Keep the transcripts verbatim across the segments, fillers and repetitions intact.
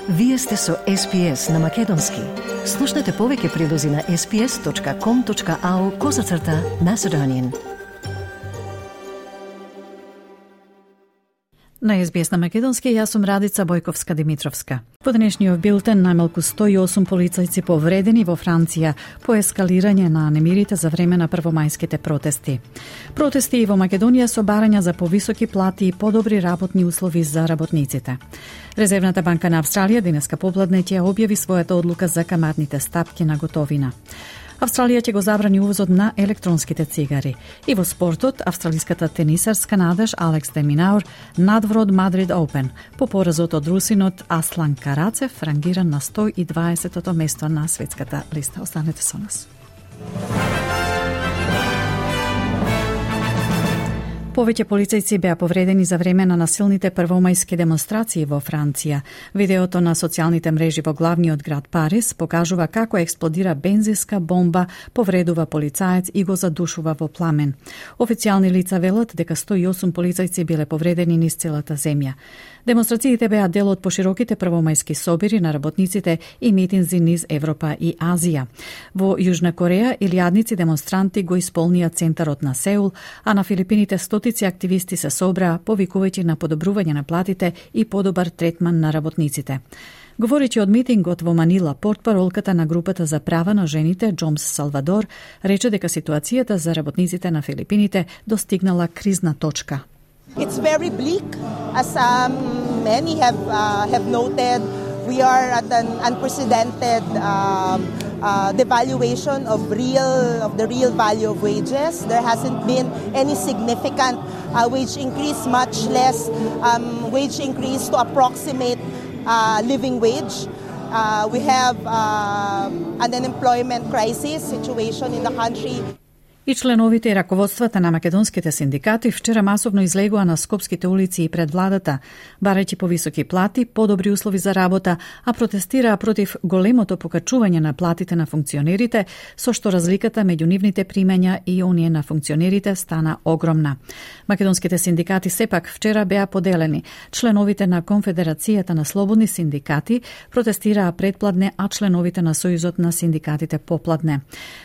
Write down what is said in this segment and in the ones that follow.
Вие сте со Ес Пи Ес на Македонски. Слушнете повеќе прилози на ес пи ес точка ком точка ау козацрта Macedonian. На Ес Би Ес на Македонски, јас сум Радица Бојковска-Димитровска. По денешниот билтен, најмалку сто и осум полицајци повредени во Франција по ескалирање на немирите за време на првомајските протести. Протести и во Македонија со барања за повисоки плати и подобри работни услови за работниците. Резервната банка на Австралија денеска попладне ќе објави својата одлука за каматните стапки на готовина. Австралија ќе го забрани увозот на електронските цигари. И во спортот, австралиската тенисарска надеж Алекс де Минаур надвор од Мадрид Оупен по поразот од русинот Аслан Карацев, рангиран на сто и дваесетото место на светската листа. Останете со нас. Повеќе полицајци беа повредени за време на насилните првомајски демонстрации во Франција. Видеото на социјалните мрежи во главниот град Париз покажува како експлодира бензинска бомба, повредува полицаец и го задушува во пламен. Официјални лица велат дека сто и осум полицајци биле повредени низ целата земја. Демонстрациите беа дел од пошироките првомајски собири на работниците и митинзи низ Европа и Азија. Во Јужна Кореја илјадници демонстранти го исполнија центарот на Сеул, а на Филипините стотици активисти се собраа, повикувајќи на подобрување на платите и подобар третман на работниците. Говорејќи од митингот во Манила, портпаролката на групата за права на жените Джомс Салвадор рече дека ситуацијата за работниците на Филипините достигнала кризна точка. It's very bleak, as um, many have uh, have noted. We are at an unprecedented um, uh, devaluation of real of the real value of wages. There hasn't been any significant uh, wage increase, much less um, wage increase to approximate uh, living wage. Uh, we have uh, an unemployment crisis situation in the country. И членовите и раководствата на македонските синдикати вчера масовно излегоа на скопските улици и пред владата, барајќи повисоки плати, подобри услови за работа, а протестираа против големото покачување на платите на функционерите, со што разликата меѓу нивните примања и оние на функционерите стана огромна. Македонските синдикати сепак вчера беа поделени. Членовите на Конфедерацијата на слободни синдикати протестираа предпладне, а членовите на Сојузот на синдикатите попладне.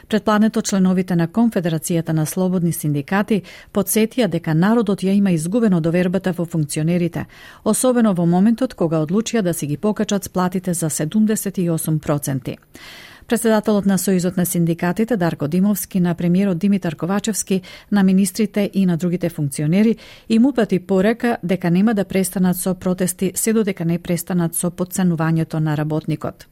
Предпладнето членовите на Конфедерацијата Конфедерацијата на слободни синдикати подсетија дека народот ја има изгубено довербата во функционерите, особено во моментот кога одлучија да си ги покачат сплатите за седумдесет и осум проценти. Председателот на Сојузот на синдикатите Дарко Димовски на премиерот Димитар Ковачевски, на министрите и на другите функционери им упати порека дека нема да престанат со протести се додека не престанат со потценувањето на работникот.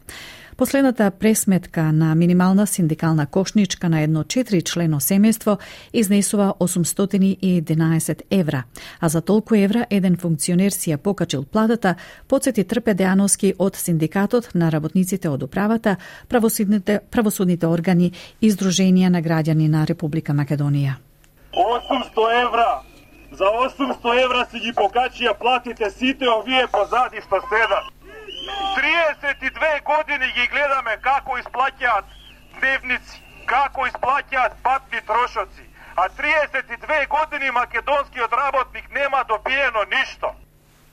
Последната пресметка на минимална синдикална кошничка на едно четири члено семејство изнесува осумстотини и единаесет евра, а за толку евра еден функционер си ја покачил платата, подсети Трпе Дејановски од синдикатот на работниците од управата, правосудните, правосудните органи и Сдруженија на граѓани на Република Македонија. осумсто евра! За осумсто евра си ги покачија платите сите овие позади што седат. триесет и две години ги гледаме како исплаќаат дневници, како исплаќаат патни трошоци, а триесет и две години македонскиот работник нема добиено ништо.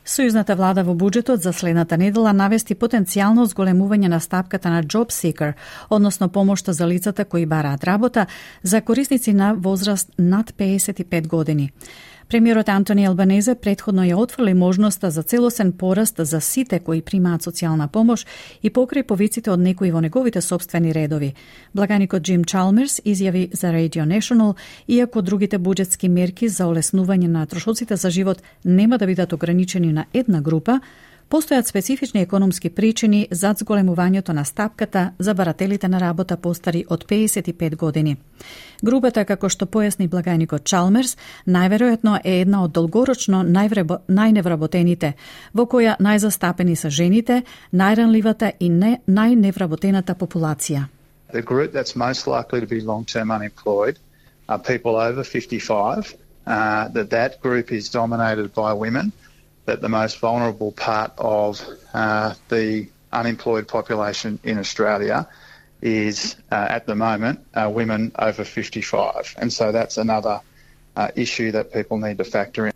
Сојузната влада во буџетот за следната недела навести потенцијално зголемување на стапката на Job Seeker, односно помошта за лицата кои бараат работа, за корисници на возраст над пеесет и пет години. Премиерот Антони Албанезе претходно ја отфрли можноста за целосен пораст за сите кои примаат социјална помош и покрај повиците од некои во неговите собствени редови. Благаникот Джим Чалмерс изјави за Radio National, иако другите буџетски мерки за олеснување на трошоците за живот нема да бидат ограничени на една група, постојат специфични економски причини за зголемувањето на стапката за барателите на работа постари од пеесет и пет години. Групата, како што појасни благајникот Чалмерс, најверојатно е една од долгорочно најневработените, во која најзастапени се жените, најранливата и не, најневработената популација. The group that's most likely to be long-term unemployed are people over fifty-five, uh, that that group is dominated by women, that the most vulnerable part of uh, the unemployed population in Australia is, uh, at the moment, uh, women over fifty-five. And so that's another uh, issue that people need to factor in.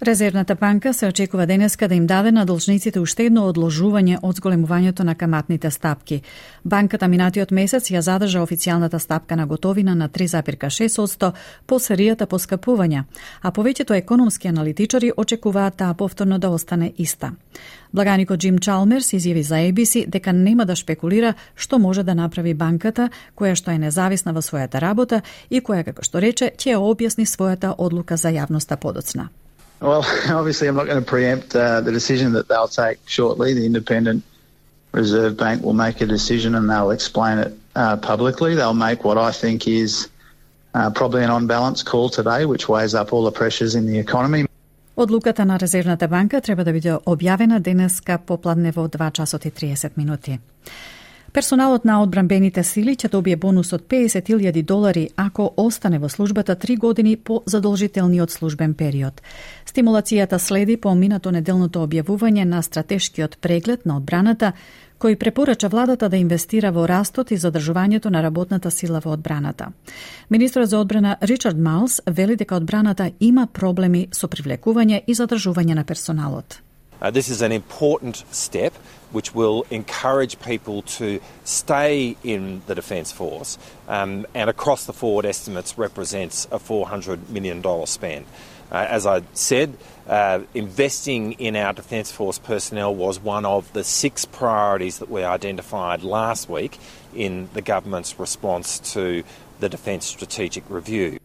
Резервната банка се очекува денеска да им даде на должниците уште едно одложување од зголемувањето на каматните стапки. Банката минатиот месец ја задржа официјалната стапка на готовина на три зарез шест одсто по серијата поскапувања, а повеќето економски аналитичари очекуваат таа повторно да остане иста. Благаникот Джим Чалмерс изјави за Ей Би Си дека нема да шпекулира што може да направи банката, која што е независна во својата работа и која, како што рече, ќе објасни својата одлука за јавноста подоцна. Well, obviously I'm not going to preempt uh, the decision that they'll take shortly. The Independent Reserve Bank will make a decision and they'll explain it uh, publicly. They'll make what I think is uh, probably an on-balance call today, which weighs up all the pressures in the economy. Одлуката на Резервната банка треба да биде објавена денеска попладне во два часот и триесет минути. Персоналот на одбранбените сили ќе добие бонус од песет илјади долари ако остане во службата три години по задолжителниот службен период. Стимулацијата следи по минато неделното објавување на стратешкиот преглед на одбраната, кој препорача владата да инвестира во растот и задржувањето на работната сила во одбраната. Министрот за одбрана Ричард Малс вели дека одбраната има проблеми со привлекување и задржување на персоналот. Uh, this is an important step which will encourage people to stay in the Defence Force um, and across the forward estimates represents a four hundred million dollars spend. Uh, as I said, uh, investing in our Defence Force personnel was one of the six priorities that we identified last week in the government's response to the Defence Strategic Review.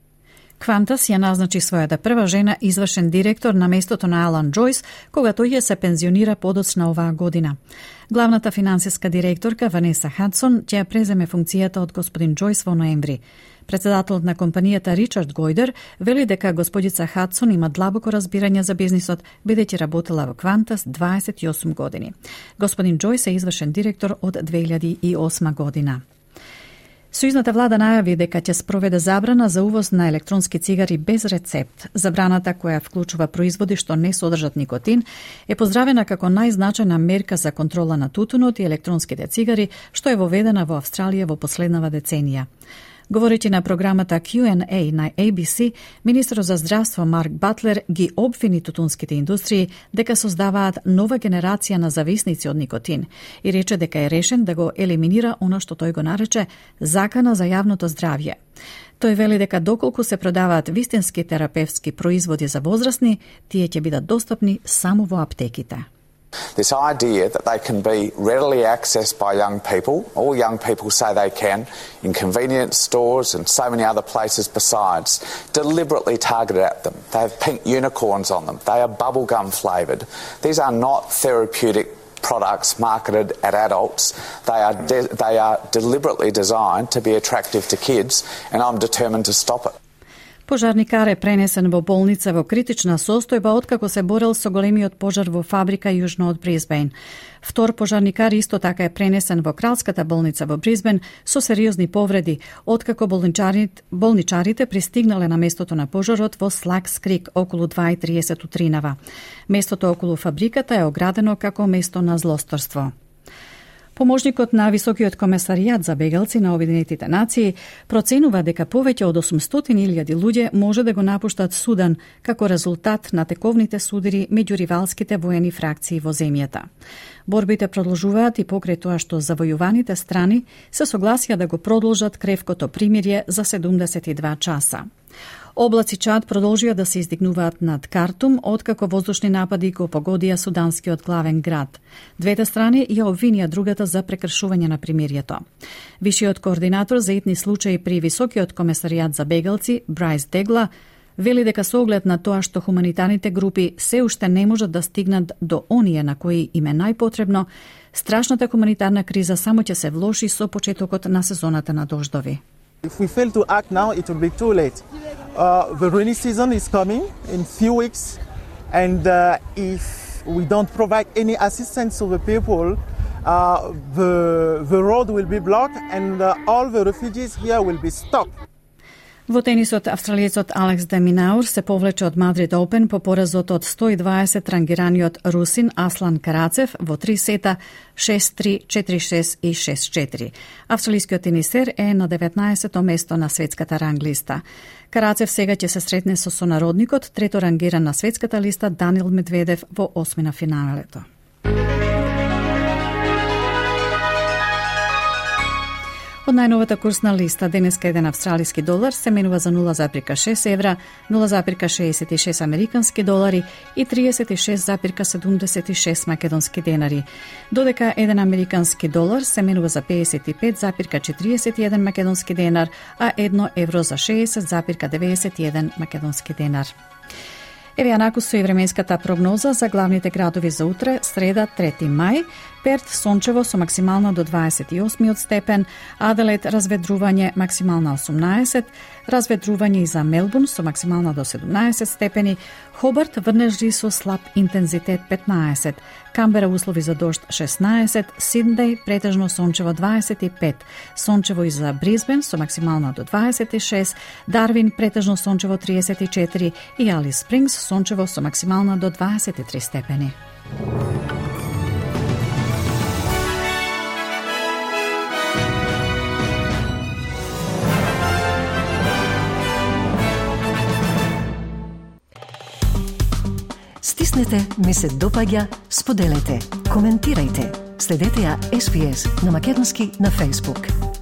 Qantas ја назначи својата прва жена извршен директор на местото на Алан Џојс, кога тој ја се пензионира подоцна оваа година. Главната финансиска директорка Ванеса Хадсон ќе ја преземе функцијата од господин Џојс во ноември. Председателот на компанијата Ричард Гојдер вели дека господица Хадсон има длабоко разбирање за бизнисот, бидејќи работела во Qantas дваесет и осум години. Господин Џојс е извршен директор од две илјади и осма година. Сојузната влада најави дека ќе спроведе забрана за увоз на електронски цигари без рецепт. Забраната, која вклучува производи што не содржат никотин, е поздравена како најзначајна мерка за контрола на тутунот и електронските цигари, што е воведена во Австралија во последнава деценија. Говорејќи на програмата Q and A на Ей Би Си, министерот за здравство Марк Батлер ги обвини тутунските индустрии дека создаваат нова генерација на зависници од никотин и рече дека е решен да го елиминира она што тој го нарече закана за јавното здравје. Тој вели дека доколку се продаваат вистински терапевтски производи за возрастни, тие ќе бидат достапни само во аптеките. This idea that they can be readily accessed by young people, all young people say they can, in convenience stores and so many other places besides, deliberately targeted at them. They have pink unicorns on them. They are bubblegum flavoured. These are not therapeutic products marketed at adults. They are, de- they are deliberately designed to be attractive to kids, and I'm determined to stop it. Пожарникар е пренесен во болница во критична состојба откако се борел со големиот пожар во фабрика јужно од Брисбен. Втор пожарникар исто така е пренесен во Кралската болница во Брисбен со сериозни повреди, откако болничарите, болничарите пристигнале на местото на пожарот во Слакс Крик околу два и триесет утринава. Местото околу фабриката е оградено како место на злосторство. Поможникот на Високиот комесаријат за бегалци на Обединетите нации проценува дека повеќе од осумстотини илјади луѓе може да го напуштат Судан како резултат на тековните судири меѓу ривалските воени фракции во земјата. Борбите продолжуваат и покрај тоа што завојуваните страни се согласија да го продолжат кревкото примирје за седумдесет и два часа. Облаци Чад продолжија да се издигнуваат над Картум, откако воздушни напади го погодија суданскиот главен град. Двете страни ја обвинија другата за прекршување на примирието. Вишиот координатор за итни случаи при Високиот комесаријат за бегалци, Брайс Дегла, вели дека со оглед на тоа што хуманитарните групи се уште не можат да стигнат до оние на кои им е најпотребно, страшната хуманитарна криза само ќе се влоши со почетокот на сезоната на дождови. If we fail to act now, it will be too late. Uh, the rainy season is coming in few weeks, and uh, if we don't provide any assistance to the people, uh, the, the road will be blocked and uh, all the refugees here will be stopped. Во тенисот, австралиецот Алекс де Минаур се повлече од Мадрид Open по поразот од сто и дваесет рангираниот русин Аслан Карацев во три сета шест три, четири шест и шест четири. Австралискиот тенисер е на деветнаесетто место на светската ранглиста. Карацев сега ќе се сретне со сонародникот, трето рангиран на светската листа Данил Медведев во осмина финалето. Од најновата курсна листа, денеска еден австралиски долар се менува за нула запирка шест евра, нула запирка шеесет и шест американски долари и триесет и шест запирка седумдесет и шест македонски денари. Додека еден американски долар се менува за пеесет и пет запирка четириесет и еден македонски денар, а едно евро за шеесет запирка деветдесет и еден македонски денар. Еве ја накусу и временската прогноза за главните градови за утре, среда трети мај. Перт сончево со максимална до дваесет и осми степен, Аделаид разведрување максимална осумнаесет, разведрување и за Мелбурн со максимална до седумнаесет степени, Хобарт врнежи со слаб интензитет петнаесет, Камбера услови за дожд шеснаесет, Сиднеј претежно сончево дваесет и пет, сончево и за Брисбен со максимална до дваесет и шест, Дарвин претежно сончево триесет и четири и Алис Спрингс сончево со максимална до дваесет и три степени. Стиснете, ми се допаѓа, споделете, коментирајте. Следете ја Ес Би Ес на македонски на Facebook.